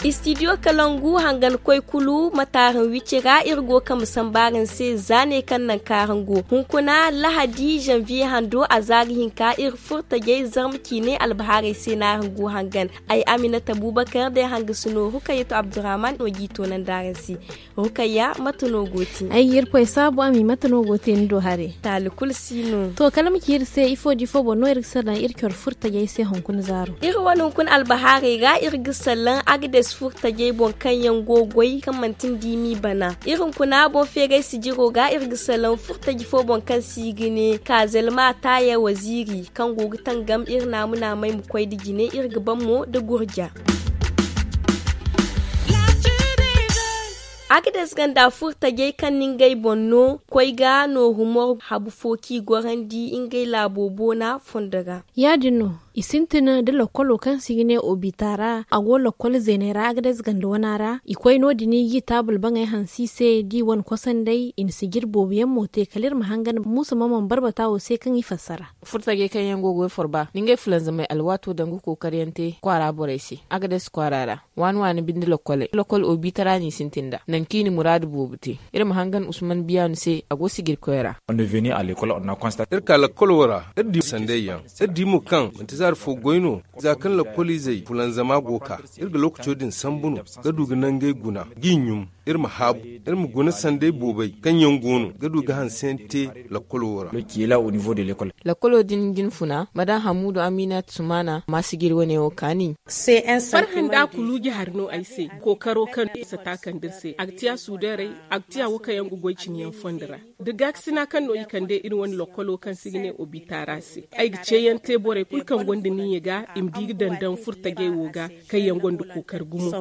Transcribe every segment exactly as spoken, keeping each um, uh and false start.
Istidiyo kalangu hangan koy kulu ma taaran wicci ra iri go kambe samba araŋ se za ne kaŋ naŋ kaŋ araŋ go hunkuna lahadi zanviye hando a za ga hinka iri furtajey zarma ciine albahaarey se no araŋ go hangan. Ay aminata bubakar day hanga si no rukayatu abdurrahman no g'i toonandi araŋ se. Rukayya mate no go te? Ay ga iri koy saabu a ma i mate no go te ni do hare. Taali kulu si no. To kala ma ci iri se ifo da ifo boŋ no iri ga salaŋ iri coro furtajey se hunkuna zaaro? Iri wane hunkuna albahaarey ra iri ga salaŋ agades furtajey boŋ kaŋ yaŋ go goy kaŋ manti nda i m'i bana. Iri hunkuna boŋ feeray sijiro ga iri ga salaŋ furtaji fo boŋ kaŋ se i ga ne kaazelma taaya waziiri kaŋ go ga tangam iri naamu naamay ma koy nda jine iri ga ban mo nda gurja. Agades ganda furtajey kaŋ na ngey boŋ no koy ga nooru mor habu fo kaŋ i gorandi ngey laabo boona fondo ra. Ya- din no i sintin da lakkolo kaŋ se i ga ne obita ra a go lakkol zeeney ra agades ganda wana ra i koy no- din i g'i taabul baŋey hanse i se da i wane kosanday i na sijir boobo yaŋ mo te kala iri ma hangan muusa mamman barbata wo se kaŋ i fassara. Furtajey kaŋ yaŋ go ga goy forba na ngey fulanzamey alwaato daŋ ga kookari yaŋ te kwaara borey se agades kwaara ra. Waani waani binde lokkoley lokkol obiita ra no i sintin nd'a nangu kaŋ i na muraadu boobo te. Iri ma hangan usman biyaanu se a go sijirkoy ra. Iri ka lakkol wo ra iri di sanday yaŋ iri di mo kaŋ manti zaari fo goy no. Za kaŋ lakkoliizey fulanzama go ga ka iri ga lookaco din sambu no ga du ga nangey guna g'i ɲum iri ma haabu iri ma guna sanday boobey kaŋ yaŋ go no ga du ga hanse yaŋ te lakkolo wo ra. Lakkolo din jinfuna madam hamuudu amiinat sumaana ma sijir wane wo kaani. Farhã nda kuluuji hari no ay se. Kookaro kaŋ sata kande iri se a ga tiya suudeerey a ga tiya wo kaŋ yaŋ ga goy cine yaŋ fondo ra da gaakasina kaŋ no i kande iri wane lokkolo kaŋ se i ga ne obita ra se. Ay ga ceeyaŋ te borey kulu kaŋ gonda niiya ga i ma di ga daŋ daŋ furtajey wo ga kaŋ yaŋ gonda kookari gumo.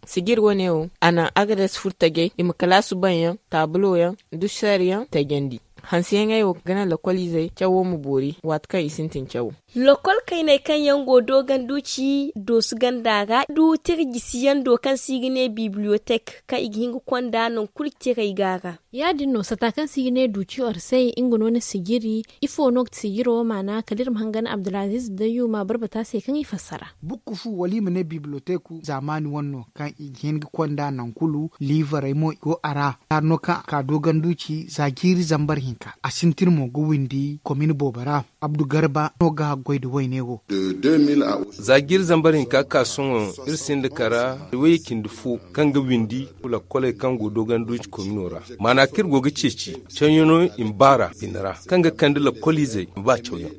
Sijir wane wo a naŋ agades furtajey i ma kalaasu baŋ yaŋ taabulo yaŋ duseer yaŋ tajandi. Hanseyaŋey wo ga naŋ lakkoliizey cawo ma boori waati kaŋ i sintin cawo. Lakkol kayney kaŋ yaŋ go dooganduuci doosu ganda ra du tira jisiyaŋ do kaŋ se i ga ne bibliyotek kaŋ i ga hin ga konda nangu kulu tirey ga a ra. Ya- din no sata kaŋ se i ga ne duuci orsey nga no na sijiri. Ifo no ga ti sijiro maana kala iri ma hangan abdulaziiz dayyuma barbata se kaŋ i fassara. Bukku fu wala i ma ne bibliyoteku zaamaani wane no kaŋ i ga hin ga konda nangu kulu liivarey mo i go a ra. Hari no kaŋ a ka dooganduuci za jiiri zambar hinka a sintin mo ga windi komin boobo ra. Abdu garba no ga haggoy nda wayne wo. Za jiiri zambar hinka ga ka sohõ iri sinda kara wayye cindi fo kaŋ ga windi lakkoley kaŋ go dooganduuci komino ra. Maana kaŋ iri go ga ceeci cawyaŋo i ma baar'a bine ra kaŋ ga kande lakkoliizey ma ba cawyaŋ.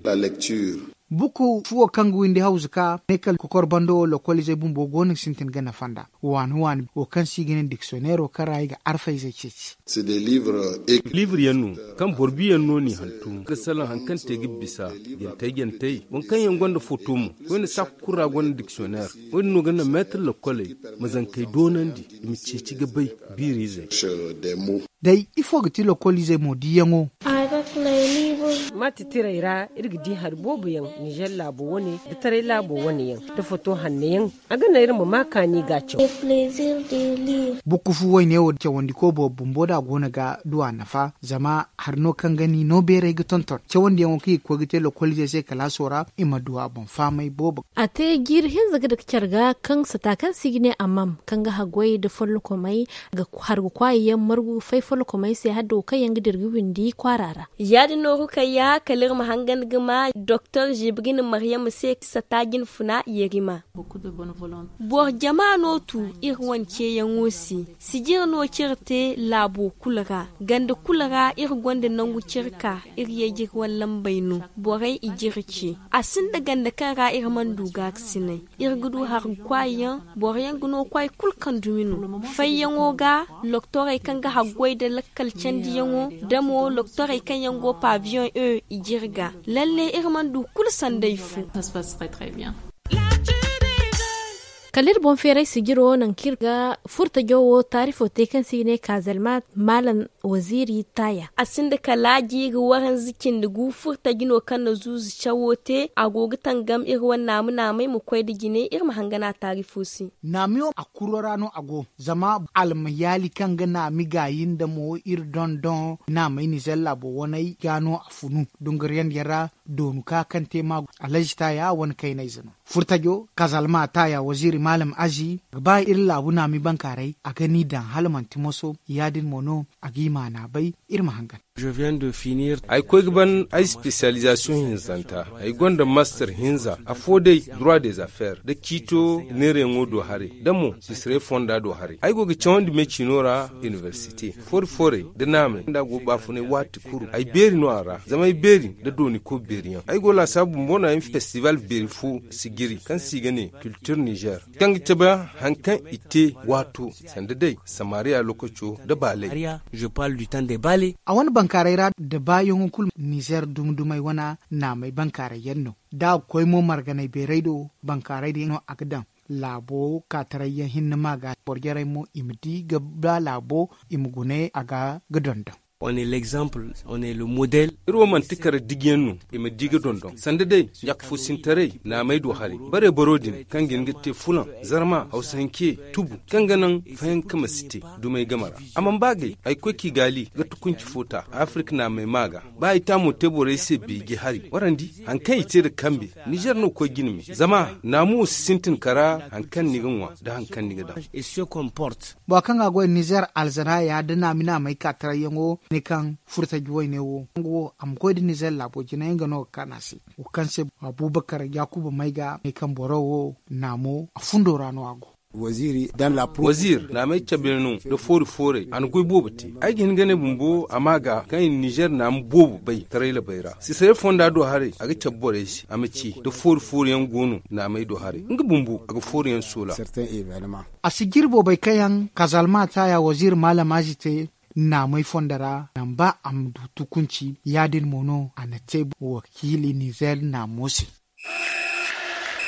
Buku fuwo kaŋ ga windi hawzu ka ne kala kokor bando wo lokoliizey bumbo go no ga sintin ga nafa nd'a. Waani waani wo kaŋ se i ga ne diksiyonero kaŋ ra i ga arfayzey ceeci. Liibre yaŋ no kaŋ boro biyaŋ no n'i hantum ga salaŋ hari kaŋ te ga bisa jantey jantey waŋ kaŋ yaŋ gonda foto mo. Koyne saako kulu ra gonda diksiyoner. Wo- din no ga naŋ meetar lakoley ma zankey doonandi i ma ceeci ga bay biiriizey. Day ifo ga ti lokoliizey mo diyaŋo? Maati tirey ra iri ga di hari boobo yaŋ nizer laabo wane nda taray laabo wane yaŋ nda foto hanno yaŋ. A ga naŋ iri ma ma kaani ga caw. Bukku fu wayne wo cawandi ko boobo bumbo da a go no ga du a nafa zama hari no kaŋ ga ni no beeray ga tonton cawandiyaŋo kaŋ i ga koy ga te lokoliizey se kalaaso ra i ma du a boŋ faamay boobo. A te jiiri hinza ga dake care ga kaŋ sata kaŋ se i ga ne amam kaŋ ga haggoy nda follokomey ga har ga kwaayi yaŋ margu ga fay follokomey se hala da wo kaŋ yaŋ ga dira ga windi kwaara ra. Ya- din no rukayya kala iri ma hangan ga ma doktor zibrin maryama se sata jinfuna yerima. Boro jama no tu iri wane ceeyaŋo se. Sijir no kaŋ iri te laabo kulu ra ganda kulu ra iri gonda nangu kaŋ iri ka iri ye ga iri wane lambey no. Borey i ga iri ce. A sinda ganda kaŋ ra iri mana du gaakasinay. Iri ga du hari ga kwaayi yaŋ. Boro yaŋ ga no kwaayi kulu kaŋ dumi no fayyaŋo ga. Loktorey kaŋ ga haggoy nda lakkal candiyaŋo da mo loktorey kaŋ yaŋ go pabiyoŋ e i ga iri ga. Lalle iri mana du kulu sanday fo. Kala iri boŋ feeray sijiro nangu kaŋ iri ga furtajo wo taarifo te kaŋ se i ga ne kaazelma maalam. Waziiri taaya a sinda kala jiiri waranza cindi gu furtaji no kaŋ na zuuzu cawo te a go ga tangam iri wane naamu naamey ma koy nda jine iri ma hangan a taari fo se. Naamiyo a kuro ra no a go zama almayaali kaŋ ga naami gaayi nda mo iri dondon naamey nizer laabo waney ga no a funu dunguriyandiyaŋ ra. Doonu ka kaŋ te maagu alhazi taaya wane kaynayze no. Furtajo kazalma taaya waziiri maalam azi ga ba iri laabu naami bankaaray a ga ni daŋ hala manti moso ya- din mo no a g'i maana bay. Iri ma hangan. Ay koy ga ban ay spesiyalizasiyoŋ hinzanta. Ay gonda master hinza afo day droit des affaires nda ciito neerayaŋo do haray nda mo sisirey fonda do haray ay go ga cawandi me ciino ra. Inibersite foori foorey nda naamey nda a go ga baafunay waati kulu ay beeri no a ra zama ay beeri nda dooni koy beeriyaŋ ay go laasaabu bumbo no ay ma festival beeri fo sijiri kaŋ se i ga ne kiltir nizer kaŋ ga cabe hari kaŋ i te waato sanda day samariya lokaco nda baalay. A wane bankaaray ra da baayaŋo kulu nizer dumi dumey wane naamey bankaaray yaŋ no da a ga koy mo marganay beeray do bankaaray din no a ga daŋ laabo kaataray yaŋ hinne ma ga boro jarey mo i ma di ga ba laabo i ma gune a ga ga dondon. Iri wo manti kare diji yaŋ no i ma di ga dondon sanda day ɲaaka fo sintaray naamey do haray bare boro din kaŋ ga hin ga te fulaŋ zarma hawsa hinke tubu kaŋ ga naŋ fayanka ma si te dumey game ra. A mana ba gay ay koy kigaali ga tukunci fo ta afirka naamey ma ga ba ay taamo te borey se beeji hari warandi hari kaŋ i te nda kambe. Nizer no ga koy jine me zama naamu wo si sintin kara hari kaŋ ni ga ŋwa nda hari kaŋ ni ga daŋ. Bora kaŋ ga a goy nizer alzanaya nda naami naamey ka tarayyaŋo ne kaŋ furtaji wayne wo nga wo a ma koy nda nizer laabo jine nga no ga kaanu a se. Wo kaŋ se abubakar yaakuba may ga ne kaŋ boro wo naamo a fundo ra no a go. Waziir naamey cabe no nda foori foorey a na goy boobo te. Ay ga hin ga ne bumbo a ma ga kaŋ i na nizer naamu boobo bay taray labey ra sisarey fonda do haray a ga cabe borey se a ma ci nda foori foori yaŋ go no naamey do haray nga bumbo a ga foori yaŋ soola. A si jiri boobey kaŋ yaŋ kazalma taaya waziir maalam azi te naamey fondo ra naŋ ba a ma du tukunci ya- din mo no a na te wakiili nizer naamo se.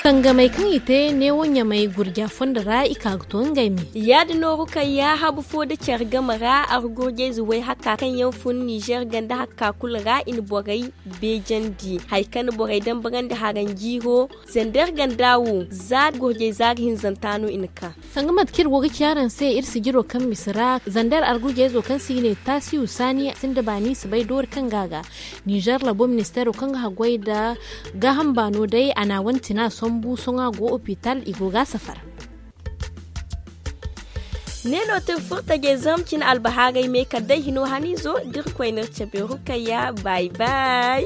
Tangamey kaŋ i te neewo ɲamey gurja fondo ra i ka ga to ngey me. Ya- din no rukayya habu fo nda care game ra argurjayze way hakka kaŋ yaŋ fun nizer ganda hakka kulu ra i na borey beejandi hari kaŋ na borey dambarandi haranjiiro. Zander ganda wo za gurjay za ga hinzanta no i na ka. Sanga mate kaŋ iri go ga ci araŋ se iri sijiro kaŋ misa ra zander argujayzo kaŋ se i ne taasiyu saani sinda baani si bay doori kaŋ ga a ga nizer labo ministeero kaŋ ga haggoy nda gaaham baano day a na a wane tina sambu sohõ a go opital i go ga a safar. Ne no te furtajey zama cine albahaarey me kala day hino haniizo da irkoy no iri cabe rukayya bay bay.